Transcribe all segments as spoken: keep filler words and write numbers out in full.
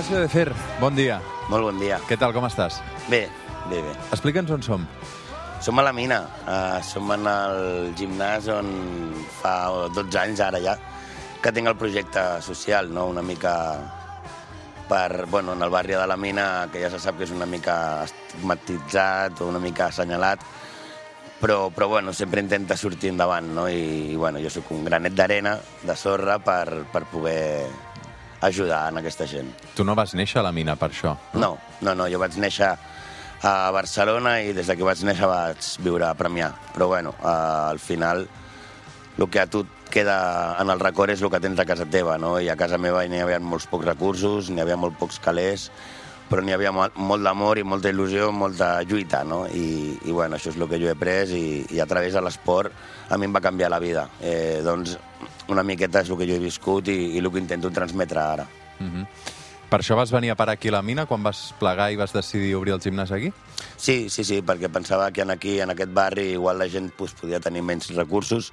Gervasio de Fer, bon dia. Molt bon dia. Què tal, com estàs? Bé, bé, bé. Explica'ns on som. Som a la mina. Uh, som en el gimnàs on fa dotze anys, ara ja, que tinc el projecte social, no? Una mica per, bueno, en el barri de la mina, que ja se sap que és una mica estigmatitzat o una mica assenyalat, però, però bueno, sempre intenta sortir endavant, no? I, i bueno, jo sóc un granet d'arena, de sorra, per, per poder ajudar en aquesta gent. Tu no vas néixer a la mina per això? No, no, no, jo vaig néixer a Barcelona i des que vaig néixer vaig viure a Premià. Però bueno, eh, al final el que a tu et queda en el record és el que tens a casa teva, no? I a casa meva n'hi havia molts pocs recursos, n'hi havia molt pocs calés, però n'hi havia molt, molt d'amor i molta il·lusió, molta lluita, no? I, i bueno, això és el que jo he après i, i a través de l'esport a mi em va canviar la vida. Eh, doncs una miqueta és el que jo he viscut i, i el que intento transmetre ara. Uh-huh. Per això vas venir a parar aquí a la mina quan vas plegar i vas decidir obrir el gimnàs aquí? Sí, sí, sí, perquè pensava que aquí, en aquest barri, igual la gent pues, podia tenir menys recursos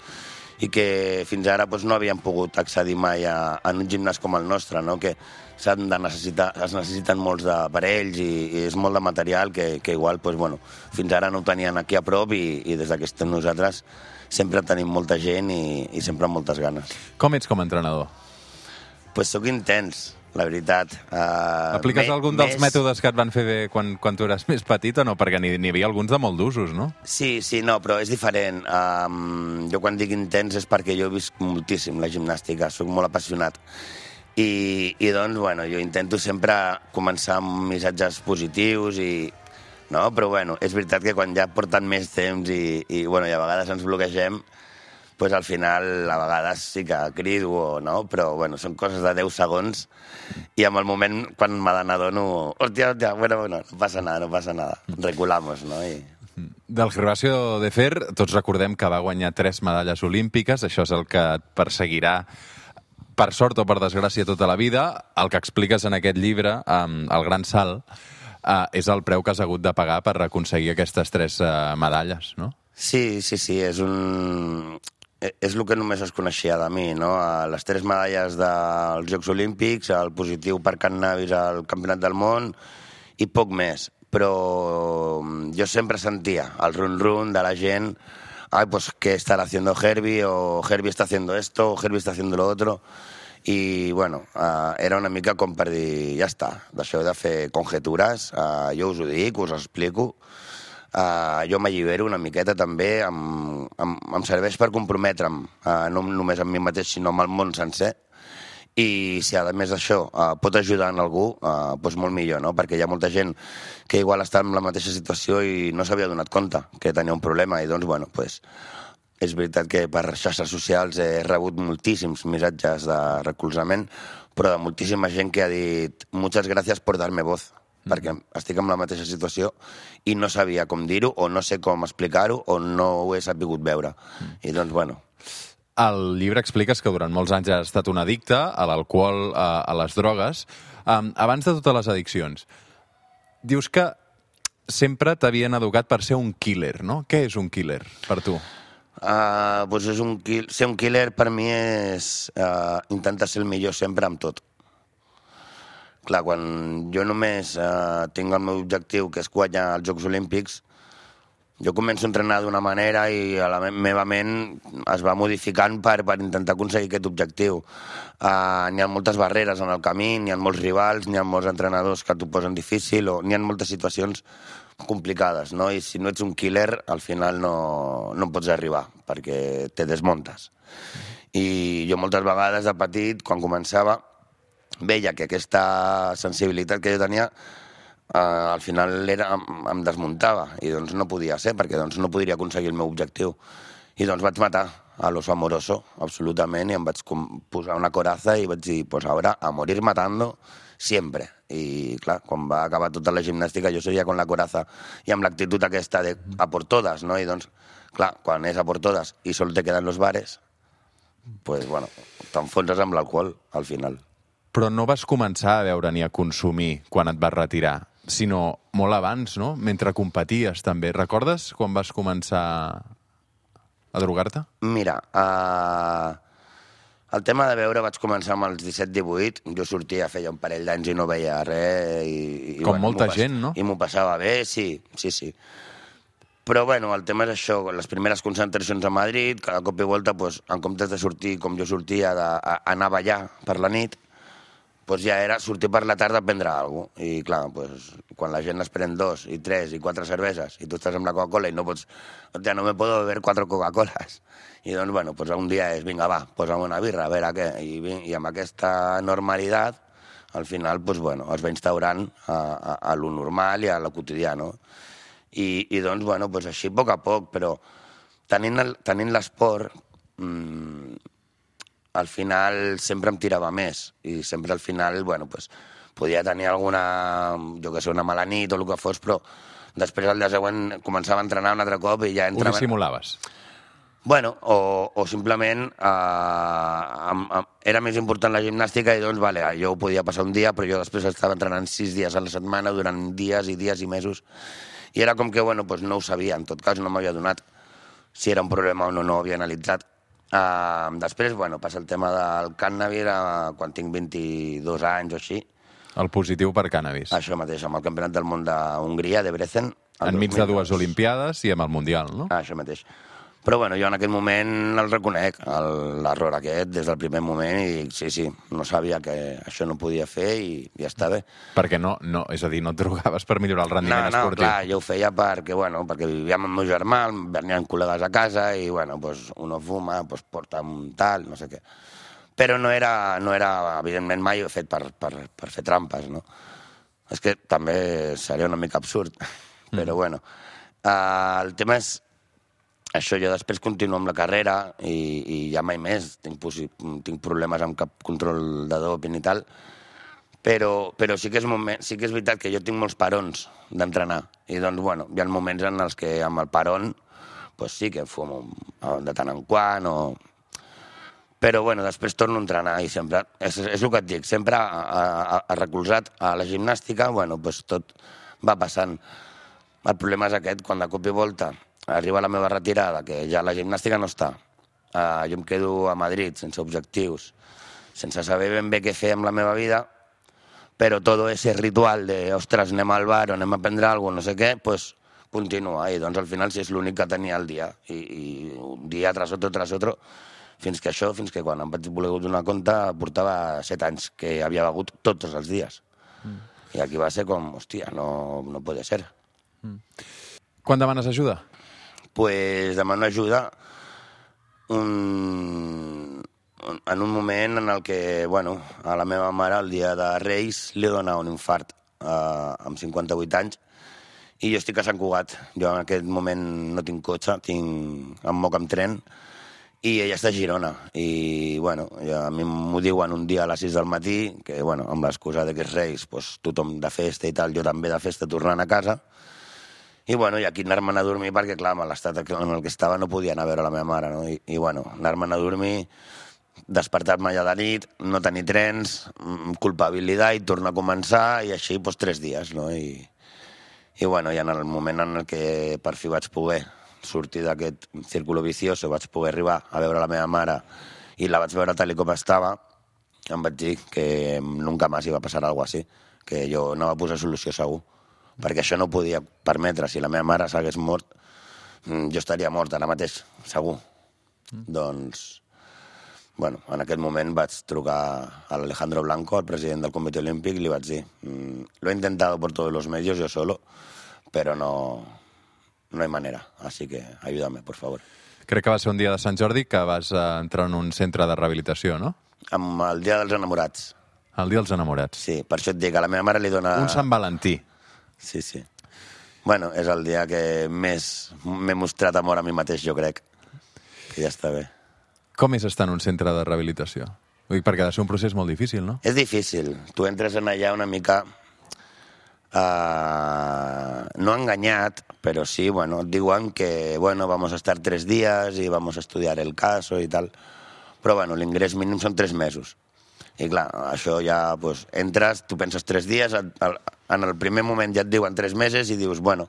i que fins ara pues, no havien pogut accedir mai a, a un gimnàs com el nostre, no? Que s'han de necessitar, es necessiten molts d'aparells i, i és molt de material que, que igual pues, bueno, fins ara no ho tenien aquí a prop i, i des que estem nosaltres sempre tenim molta gent i, i sempre amb moltes ganes. Com ets com a entrenador? Pues soc intens, la veritat. Uh, Apliques me, algun dels més... mètodes que et van fer bé quan, quan tu eres més petit o no? Perquè n'hi havia alguns de molt d'usos, no? Sí, sí, no, però és diferent. Um, jo quan dic intens és perquè jo he vist moltíssim la gimnàstica, soc molt apassionat. I, i doncs, bueno, jo intento sempre començar amb missatges positius i... No? Però, bueno, és veritat que quan ja porten més temps i, i, bueno, i a vegades ens bloquegem, pues al final, a vegades sí que crido, o, no? Però, bueno, són coses de deu segons i en el moment, quan me n'adono, hòstia, hòstia, bueno, bueno, no passa nada, no passa nada, reculamos, no? I... Del Gervasio de Fer, tots recordem que va guanyar tres medalles olímpiques, això és el que et perseguirà per sort o per desgràcia tota la vida. El que expliques en aquest llibre, um, El gran salt, uh, és el preu que has hagut de pagar per aconseguir aquestes tres uh, medalles, no? Sí, sí, sí, és un... És el que només es coneixia de mi, no? Les tres medalles dels Jocs Olímpics, el positiu per cànnabis al Campionat del Món i poc més. Però jo sempre sentia el run-run de la gent. Ay, pues, ¿qué estará haciendo Herbie? O Herbie está haciendo esto, o Herbie está haciendo lo otro. I, bueno, uh, era una mica com per dir, ja està, deixeu de fer conjetures, uh, jo us ho dic, us ho explico. Uh, jo m'allibero una miqueta també, em, em, em serveix per comprometre'm, uh, no només amb mi mateix, sinó amb el món sencer. I si a més d'això uh, pot ajudar en algú, uh, doncs molt millor, no? Perquè hi ha molta gent que igual està en la mateixa situació i no s'havia donat compte que tenia un problema i doncs, bueno, doncs, és veritat que per xarxes socials he rebut moltíssims missatges de recolzament, però de moltíssima gent que ha dit «Muchas gracias por darme voz», mm. perquè estic en la mateixa situació i no sabia com dir-ho o no sé com explicar-ho o no ho he sabut veure. Mm. I doncs, bueno... Al llibre expliques que durant molts anys has estat un addicte a l'alcohol, a, a les drogues. Um, abans de totes les addiccions, dius que sempre t'havien educat per ser un killer, no? Què és un killer per tu? Uh, doncs és un kill... Ser un killer per mi és uh, intentar ser el millor sempre amb tot. Clar, quan jo només uh, tinc el meu objectiu, que és guanyar els Jocs Olímpics, jo començo a entrenar d'una manera i a la meva ment es va modificant per, per intentar aconseguir aquest objectiu. Uh, n'hi ha moltes barreres en el camí, n'hi ha molts rivals, n'hi ha molts entrenadors que t'ho posen difícil, o n'hi ha moltes situacions complicades, no? I si no ets un killer, al final no, no pots arribar, perquè te desmontes. I jo moltes vegades de petit, quan començava, veia que aquesta sensibilitat que jo tenia Uh, al final era, em, em desmuntava i doncs no podia ser perquè doncs no podria aconseguir el meu objectiu i doncs vaig matar a l'oso amoroso absolutament i em vaig posar una coraza i vaig dir, pues ahora a morir matando siempre. I clar, quan va acabar tota la gimnàstica jo seguia con la coraza i amb l'actitud aquesta de a por todas, no? I doncs, clar, quan és a por todas i sol te quedan los bares, pues bueno, t'enfonses amb l'alcohol al final. Però no vas començar a beure ni a consumir quan et vas retirar, sinó molt abans, no? Mentre competies, també. Recordes quan vas començar a drogar-te? Mira, uh, El tema de veure vaig començar amb els disset divuit, jo sortia, feia un parell d'anys i no veia res. I, i, Com bueno, molta pas... gent, no? I m'ho passava bé, sí, sí, sí. Però bueno, el tema és això, les primeres concentracions a Madrid, cada cop i volta, doncs, en comptes de sortir com jo sortia, d'anar a ballar per la nit, doncs ja era sortir per la tarda a prendre alguna cosa. I clar, doncs, quan la gent es pren dos, i tres, i quatre cerveses, i tu estàs amb la Coca-Cola i no pots... Ja no me puedo beber quatre Coca-Coles. I doncs, bueno, doncs un dia és, vinga, va, posa'm una birra, a veure què. I, i amb aquesta normalitat, al final, doncs, bueno, es va instaurant a, a, a lo normal i a lo quotidià, no? I, i doncs, bueno, doncs així, a poc a poc, però tenint, el, tenint l'esport, mmm, al final sempre em tirava més i sempre al final, bueno, pues, podia tenir alguna, jo que sé, una mala nit o el que fos, però després al dia següent començava a entrenar un altre cop i ja entrava... Ho dissimulaves? Bueno, o, o simplement eh, am, am, era més important la gimnàstica i doncs, vale, jo ho podia passar un dia, però jo després estava entrenant sis dies a la setmana durant dies i dies i mesos i era com que, bueno, pues no ho sabia, en tot cas no m'havia donat si era un problema o no, no ho havia analitzat. Uh, després, bueno, passa el tema del cànnabis uh, quan tinc vint-i-dos anys o així. El positiu per cànnabis. Això mateix, amb el Campionat del Món d'Hongria, de Debrecen. Enmig de dues Olimpiades i amb el Mundial, no? Ah, això mateix. Però bueno, jo en aquest moment el reconec, l'error aquest, des del primer moment, i dic, sí, sí, no sabia que això no podia fer i ja està bé. Perquè no, no, és a dir, no et drogaves per millorar el rendiment no, no, esportiu? No, clar, jo ho feia perquè, bueno, perquè vivíem amb el meu germà, venien col·legues a casa i, bueno, pues, uno fuma, pues, porta un tal, no sé què. Però no era, no era evidentment, mai ho he fet per, per, per fer trampes, no? És que també seria una mica absurd, mm. però bueno. Uh, el tema és això, jo després continuo amb la carrera i, i ja mai més tinc, tinc problemes amb cap control de doping i tal, però, però sí, que és moment, sí que és veritat que jo tinc molts parons d'entrenar i doncs, bueno, hi ha moments en els que amb el paron pues sí que fumo de tant en quant o... Però, bueno, després torno a entrenar i sempre, és, és el que et dic, sempre a, a, a recolzat a la gimnàstica, bueno, pues tot va passant. El problema és aquest, quan de cop i volta arriba la meva retirada, que ja la gimnàstica no està. Uh, jo em quedo a Madrid sense objectius, sense saber ben bé què fer amb la meva vida, però tot ese ritual de, ostres, anem al bar o anem a prendre alguna cosa, no sé què, pues continua. I doncs al final sí és l'únic que tenia al dia. I, i un dia tras otro, tras otro, fins que això, fins que quan em vaig voler donar compte, portava set anys que havia begut tots els dies. Mm. I aquí va ser com, hòstia, no, no pot ser. Mm. Quan demanes ajuda? Pues demano ajuda un, en un moment en el que, bueno, a la meva mare el dia de Reis li dona un infart eh, amb cinquanta-vuit anys i jo estic a Sant Cugat. Jo en aquest moment no tinc cotxe, tinc, em moc amb tren i ella està a Girona. I, bueno, ja, a mi m'ho diuen un dia a les sis del matí, que, bueno, amb l'excusa de que és Reis, pues, tothom de festa i tal, jo també de festa tornant a casa. I, bueno, i aquí anar-me'n a dormir perquè, clar, amb l'estat en el que estava no podia anar a veure la meva mare, no? I, i bueno, anar-me'n a dormir, despertar-me allà de nit, no tenir trens, culpabilitat i tornar a començar, i així, doncs, tres dies, no? I, i bueno, i en el moment en el que per fi vaig poder sortir d'aquest círculo vicioso, vaig poder arribar a veure la meva mare i la vaig veure tal com estava, em vaig dir que nunca més iba a passar alguna cosa així, que jo no va posar solució segur, perquè això no podia permetre. Si la meva mare s'hagués mort, jo estaria mort ara mateix, segur. Mm. Doncs, bueno, en aquest moment vaig trucar a Alejandro Blanco, el president del Comitè Olímpic, i li vaig dir, lo he intentado por todos los medios, yo solo, pero no, no hay manera, así que ayúdame, por favor. Crec que va ser un dia de Sant Jordi que vas entrar en un centre de rehabilitació, no? Amb el dia dels enamorats. El dia dels enamorats. Sí, per això et dic, a la meva mare li dona... Un Sant Valentí. Sí, sí. Bueno, és el dia que més m'he mostrat amor a mi mateix, jo crec. Que ja està bé. Com és estar en un centre de rehabilitació? Vull dir, perquè ha de ser un procés molt difícil, no? És difícil. Tu entres en allà una mica... Uh, no enganyat, però sí, bueno, et diuen que, bueno, vamos a estar tres días y vamos a estudiar el caso i tal. Però, bueno, l'ingrés mínim són tres mesos. I clar, això ja, pues, entres, tu penses tres dies, en el primer moment ja et diuen tres mesos i dius, bueno,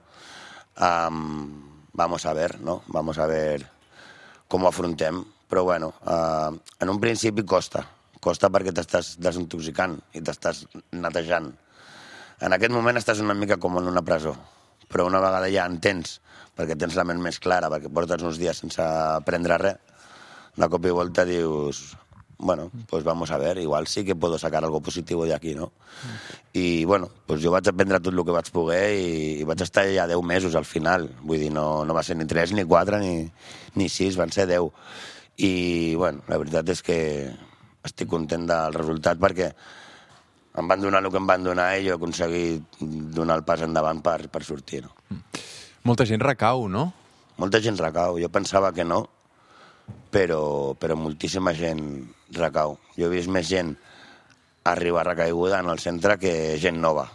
um, vamos a ver, ¿no? Vamos a ver com ho afrontem. però bueno, uh, en un principi costa. Costa perquè t'estàs desintoxicant i t'estàs netejant. En aquest moment estàs una mica com en una presó, però una vegada ja entens, perquè tens la ment més clara, perquè portes uns dies sense prendre res, de cop i volta dius, bueno, pues vamos a ver, igual sí que puedo sacar algo positivo de aquí, ¿no? I, bueno, pues jo vaig aprendre tot el que vaig poder i, i vaig estar ja deu mesos al final. Vull dir, no, no va ser ni tres, ni quatre, ni, ni sis, van ser deu. I, bueno, la veritat és que estic content del resultat perquè em van donar el que em van donar i jo he aconseguit donar el pas endavant per, per sortir, no? Molta gent recau, no? Molta gent recau. Jo pensava que no, però, però moltíssima gent recau. Jo he vist més gent arribar recaiguda en el centre que gent nova.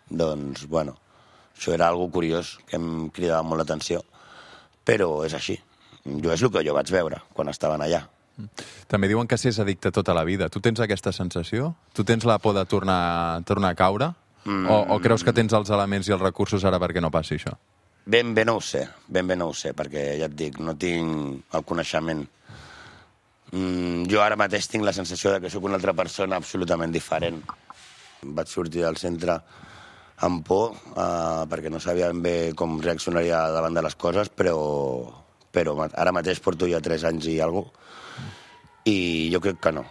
Doncs, bueno, això era algo curiós, que em cridava molt l'atenció, però és així. Jo és el que jo vaig veure quan estaven allà. També diuen que s'és addicte tota la vida. Tu tens aquesta sensació? Tu tens la por de tornar, tornar a caure? Mm. O, o creus que tens els elements i els recursos ara perquè no passi això? Ben bé no ho sé, ben bé no ho sé, perquè ja et dic, no tinc el coneixement. Mm, jo ara mateix tinc la sensació de que sóc una altra persona absolutament diferent. Vaig sortir del centre amb por, eh, perquè no sabia ben bé com reaccionaria davant de les coses, però, però ara mateix porto ja tres anys i alguna cosa, i jo crec que no.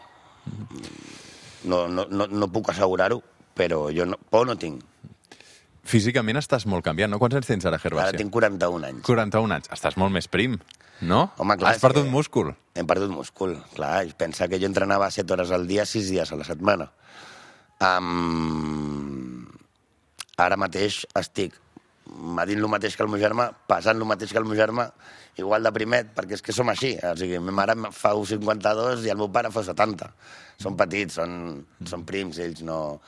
No, no, no, no puc assegurar-ho, però jo no, por no tinc. Físicament estàs molt canviant, no? Quants anys tens ara, Gervasio? Ara tinc quaranta-un anys. quaranta-un anys. Estàs molt més prim, no? Home, clar, has perdut que... múscul. Hem perdut múscul, clar. Pensa que jo entrenava set hores al dia, sis dies a la setmana. Um... Ara mateix estic medint el mateix que el meu germà, passant el mateix que el meu germà, igual de primet, perquè és que som així. O sigui, ma mare fa cinquanta-dos i el meu pare fa setanta. Són petits, són, són prims, ells no...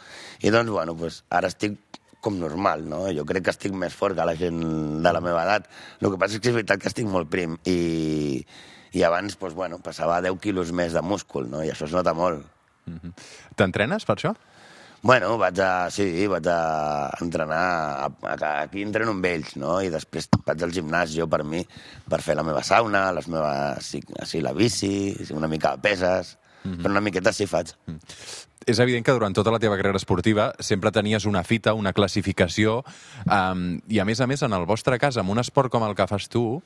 I doncs, bueno, pues, ara estic com normal, no? Jo crec que estic més fort que la gent de la meva edat. El que passa és que és veritat que estic molt prim i, i abans, pues, bueno, passava deu quilos més de múscul, no? I això es nota molt. Mm-hmm. T'entrenes per això? Bueno, vaig a... Sí, vaig a entrenar... A, a, aquí entreno amb ells, no? I després vaig al gimnàs jo per mi, per fer la meva sauna, les meves... Així, la bici, una mica de peses... Mm-hmm. Però una miqueta sí faig. Mm. És evident que durant tota la teva carrera esportiva sempre tenies una fita, una classificació, um, i a més a més, en el vostre cas, amb un esport com el que fas tu,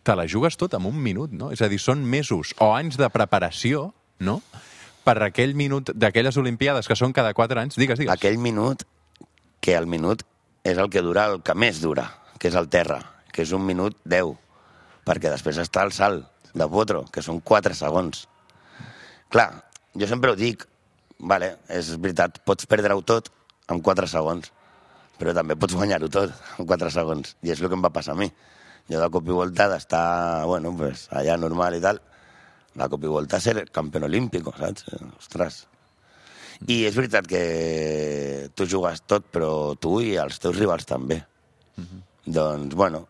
te la jugues tot en un minut, no? És a dir, són mesos o anys de preparació, no?, per aquell minut d'aquelles Olimpiades que són cada quatre anys. Digues, digues. Aquell minut, que el minut és el que dura el que més dura, que és el terra, que és un minut deu, perquè després està el salt de potro, que són quatre segons. Clar, jo sempre ho dic, vale, és veritat, pots perdre-ho tot en quatre segons, però també pots guanyar-ho tot en quatre segons, i és el que em va passar a mi. Jo de cop i volta d'estar, bueno, pues, allà normal i tal, de cop i volta a ser campió olímpico, saps? Ostres. I és veritat que tu jugues tot, però tu i els teus rivals també. Mm-hmm. Doncs, bueno,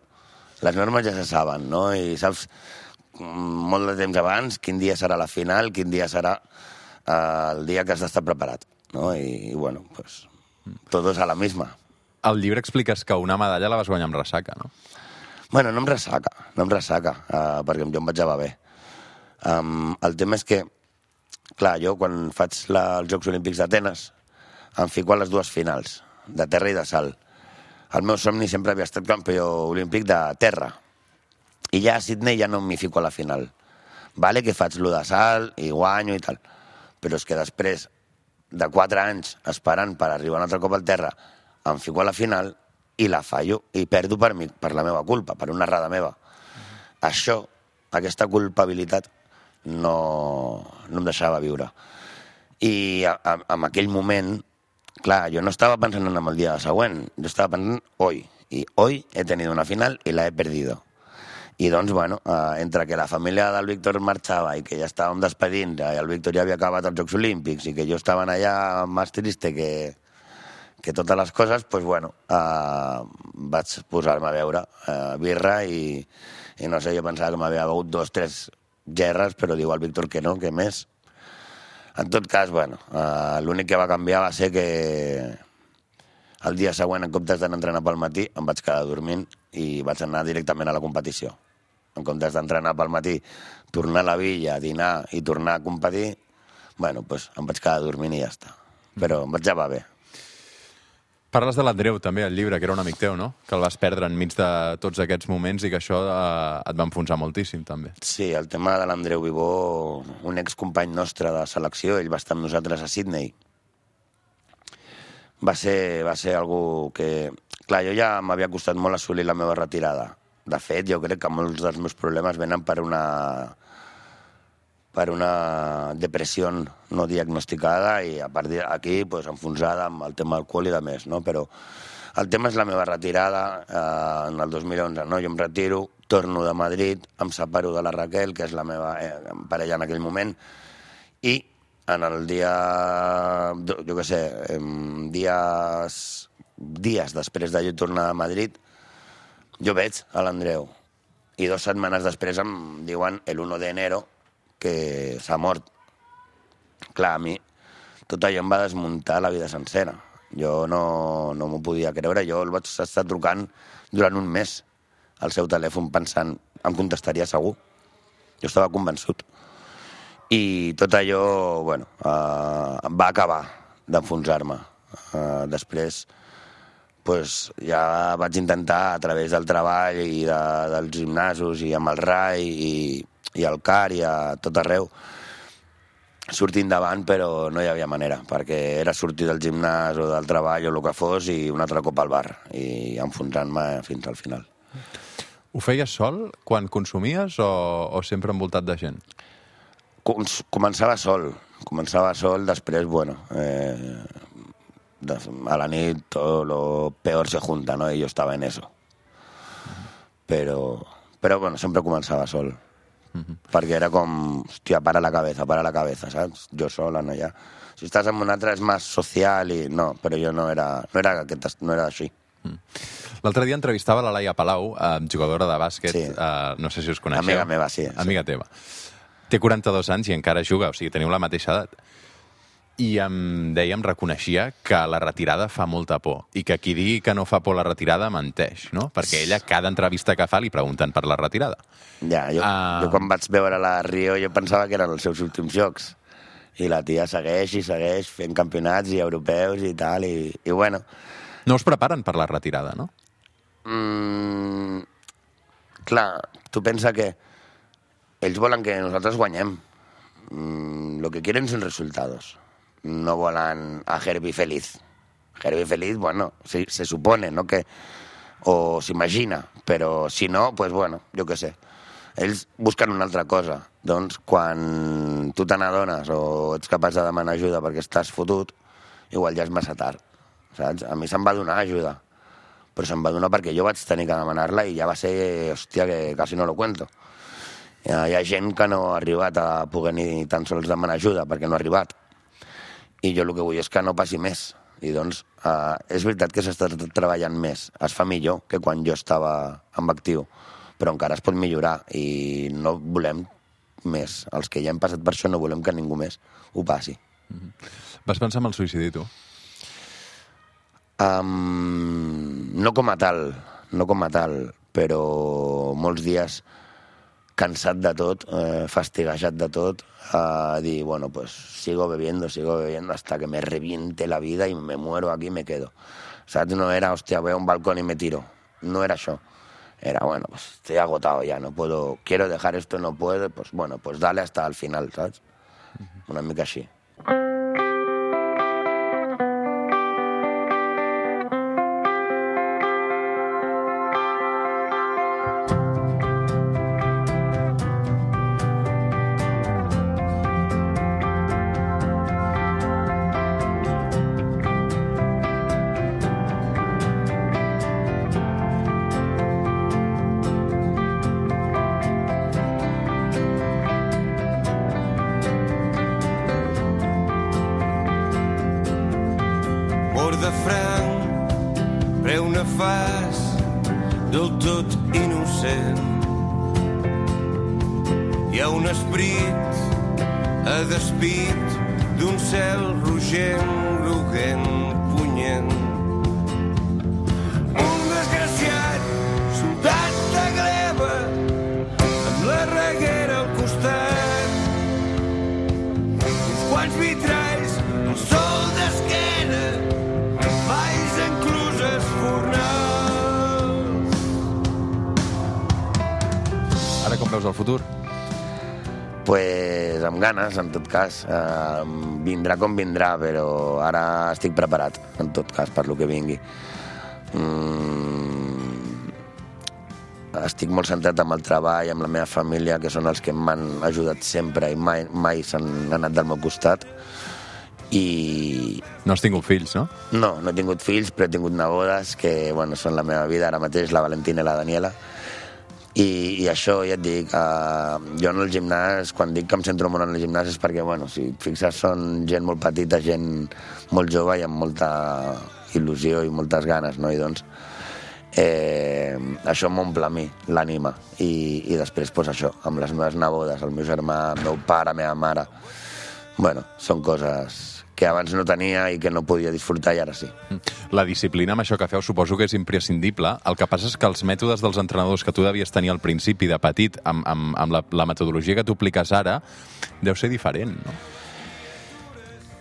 les normes ja se saben, no? I saps molt de temps abans quin dia serà la final, quin dia serà eh, el dia que has d'estar preparat, no? I, i bueno, pues, todos a la misma. Al llibre expliques que una medalla la vas guanyar amb ressaca, no? Bueno, no em ressaca, no em ressaca, eh, perquè jo em vaig llevar bé. Um, el tema és que, clar, jo quan faig la, els Jocs Olímpics d'Atenes em fico a les dues finals, de terra i de salt. El meu somni sempre havia estat campió olímpic de terra. I ja a Sydney ja no m'hi fico a la final. Vale que faig lo de salt i guanyo i tal, però és que després de quatre anys esperant per arribar un altre cop al terra, em fico a la final i la fallo i perdo per mi, per la meva culpa, per una errada meva. Mm-hmm. Això, aquesta culpabilitat, no, no em deixava viure. I a, a, en aquell moment, clar, jo no estava pensant en el dia següent, jo estava pensant hoy, i hoy he tenido una final i la he perdido. I doncs, bueno, eh, entre que la família del Víctor marxava i que ja estàvem despedint, i el Víctor ja havia acabat els Jocs Olímpics i que jo estava allà més triste que, que totes les coses, doncs, bueno, eh, vaig posar-me a veure eh, birra i, i no sé, jo pensava que m'havia begut dos, tres gerres, però diu el Víctor que no, que més. En tot cas, bueno, eh, l'únic que va canviar va ser que el dia següent, en comptes d'anar a entrenar pel matí, em vaig quedar dormint i vaig anar directament a la competició. en comptes d'entrenar pel matí, tornar a la villa, dinar i tornar a competir, bueno, doncs em vaig quedar dormint i ja està. Però em vaig llevar bé. Parles de l'Andreu, també, al llibre, que era un amic teu, no? Que el vas perdre enmig de tots aquests moments i que això eh, et va enfonsar moltíssim, també. Sí, el tema de l'Andreu Vivó, un excompany nostre de selecció, ell va estar amb nosaltres a Sydney. Va ser, va ser algú que... Clar, jo ja m'havia costat molt assolir la meva retirada. De fet, jo crec que molts dels meus problemes venen per una... per una depressió no diagnosticada i a partir d'aquí pues, enfonsada amb el tema alcohol i de més, no? Però el tema és la meva retirada eh, en el dos mil onze, no? Jo em retiro, torno de Madrid, em separo de la Raquel, que és la meva eh, parella en aquell moment, i en el dia, jo què sé, dies, dies després de jo tornar a Madrid, jo veig a l'Andreu i dues setmanes després em diuen el u d'enero que s'ha mort. Clar, a mi tot allò em va desmuntar la vida sencera. Jo no, no m'ho podia creure. Jo el vaig estar trucant durant un mes al seu telèfon pensant em contestaria segur. Jo estava convençut. I tot allò, bueno, eh, va acabar d'enfonsar-me. Eh, després, pues, ja vaig intentar a través del treball i de, dels gimnasos i amb el R A I i i al C A R i a tot arreu, sortir endavant, però no hi havia manera, perquè era sortir del gimnàs o del treball o el que fos i un altre cop al bar, i enfonsant-me fins al final. Ho feies sol quan consumies o, o sempre envoltat de gent? Començava sol, començava sol, després, bueno, eh, a la nit todo lo peor se junta, ¿no? Y yo estaba en eso. Però, però bueno, sempre començava sol. Uh-huh. Perquè era com, hòstia, para la cabeza, para la cabeza, saps? Jo sola, no ja. Si estàs amb un altre és més social i... No, però jo no era, no era, aquest, no era així. Mm. L'altre dia entrevistava la Laia Palau, eh, jugadora de bàsquet, sí. eh, no sé si us coneixeu. Amiga meva, sí. Amiga sí. teva. Té quaranta-dos anys i encara juga, o sigui, teniu la mateixa edat. I em deia, em reconeixia que la retirada fa molta por i que qui digui que no fa por la retirada menteix, no? Perquè ella, cada entrevista que fa, li pregunten per la retirada. Ja, jo, uh... jo quan vaig veure la Rio jo pensava que eren els seus últims jocs. I la tia segueix i segueix fent campionats i europeus i tal, i, i bueno... No us preparen per la retirada, no? Mm, clar, tu pensa que ells volen que nosaltres guanyem. Mm, lo que quieren son resultados. No volan a Herbie feliz. Herbie feliz, bueno, se, se supone, ¿no? Que, o s'imagina, però si no, pues bueno, jo què sé. Ells busquen una altra cosa. Doncs quan tu te n'adones o ets capaç de demanar ajuda perquè estàs fotut, igual ja és massa tard, saps? A mi se'm va donar ajuda, però se'm va donar perquè jo vaig tenir que demanar-la i ja va ser, hòstia, que quasi no lo cuento. Hi ha, hi ha gent que no ha arribat a poder ni tan sols demanar ajuda perquè no ha arribat. I jo el que vull és que no passi més. I doncs eh, és veritat que s'està treballant més, es fa millor que quan jo estava en actiu, però encara es pot millorar i no volem més. Els que ja hem passat per això no volem que ningú més ho passi. Mm-hmm. Vas pensar en el suïcidi, tu? Um, no com a tal, no com a tal, però molts dies cansat de tot, eh, fastiguejat de tot, a dir, bueno, pues sigo bebiendo, sigo bebiendo hasta que me reviente la vida y me muero aquí y me quedo. ¿Sabes? No era, hostia, voy a un balcón y me tiro. No era eso. Era, bueno, pues estoy agotado ya, no puedo, quiero dejar esto, no puedo, pues bueno, pues dale hasta el final, ¿sabes? Una mica així. de franc, preu nefast, del tot innocent. Hi ha un esperit a despit d'un cel rogent, groguent, punyent. Un desgraciat, soldat de gleba, costat. Uns quants vitralls, un sol d'esquena, valls encluses fornals. Ara com veus el futur? Pues amb ganes, en tot cas. Uh, vindrà com vindrà, però ara estic preparat, en tot cas, per lo que vingui. Mm, estic molt centrat amb el treball, amb la meva família, que són els que m'han ajudat sempre i mai, mai s'han anat del meu costat. I... No has tingut fills, no? No, no he tingut fills, però he tingut nebodes que, bueno, són la meva vida ara mateix, la Valentina i la Daniela. I, i això, ja et dic, uh, jo en el gimnàs, quan dic que em centro molt en el gimnàs és perquè, bueno, si et fixes, són gent molt petita, gent molt jove i amb molta il·lusió i moltes ganes, no? I doncs eh, això m'omple a mi, l'ànima. I, i després, pues, això, amb les meves nebodes, el meu germà, el meu pare, la meva mare... Bueno, són coses que abans no tenia i que no podia disfrutar i ara sí. La disciplina amb això que feu suposo que és imprescindible. El que passa és que els mètodes dels entrenadors que tu devies tenir al principi de petit amb, amb, amb la, la metodologia que tu apliques ara deu ser diferent, no?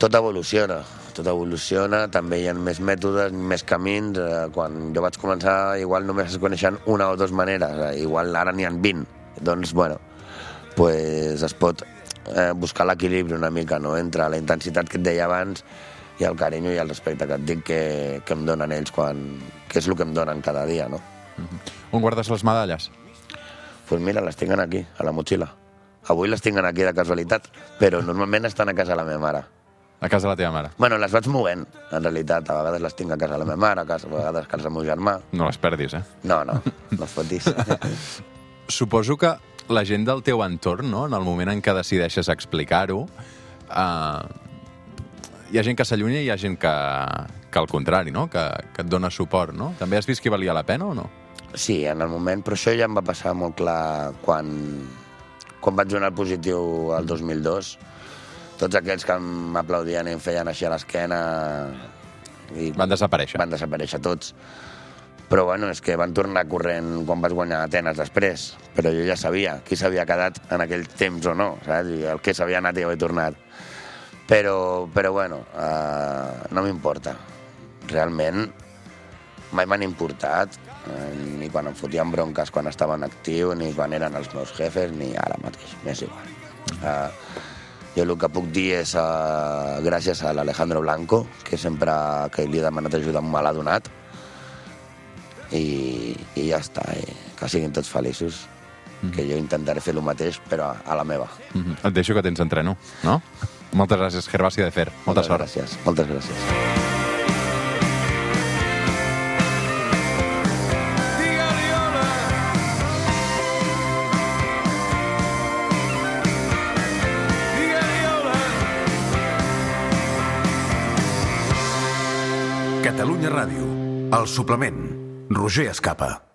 Tot evoluciona, tot evoluciona, també hi ha més mètodes, més camins. Quan jo vaig començar, igual només es coneixen una o dues maneres, igual ara n'hi ha vint. Doncs, bueno, pues es pot eh, buscar l'equilibri una mica, no?, entre la intensitat que et deia abans i el carinyo i el respecte que et dic que, que em donen ells, quan, que és el que em donen cada dia, no? Mm-hmm. On guardes les medalles? Doncs pues mira, les tinc aquí, a la motxilla. Avui les tinc aquí de casualitat, però normalment estan a casa de la meva mare. A casa de la teva mare? Bueno, les vaig movent, en realitat. A vegades les tinc a casa de la meva mare, a, casa, a vegades a casa del meu germà. No les perdis, eh? No, no, no es fotis. Suposo que la gent del teu entorn, no?, en el moment en què decideixes explicar-ho, eh, hi ha gent que s'allunya i hi ha gent que, que al contrari, no?, que, que et dona suport, no? També has vist que valia la pena o no? Sí, en el moment, però això ja em va passar molt clar quan, quan vaig donar positiu al dos mil dos. Tots aquells que m'aplaudien i em feien així a l'esquena... I van desaparèixer. Van desaparèixer tots. Però, bueno, és que van tornar corrent quan vas guanyar Atenes després. Però jo ja sabia qui s'havia quedat en aquell temps o no, saps? I el que s'havia anat i havia tornat. Però, però bueno, uh, no m'importa. Realment, mai m'han importat, eh, ni quan em fotien bronques quan estava en actiu, ni quan eren els meus jefes, ni ara mateix, m'és igual. Uh, jo el que puc dir és uh, gràcies a l'Alejandro Blanco, que sempre que li he demanat ajuda me l'ha donat, i, i ja està, i que siguin tots feliços, mm-hmm. que jo intentaré fer el mateix, però a, a la meva. Mm-hmm. Et deixo que tens entreno, no? Moltes gràcies, Gervasi de Fer. Molta moltes sort. Gràcies, moltes gràcies. Catalunya Ràdio, el suplement. Roger Escapa.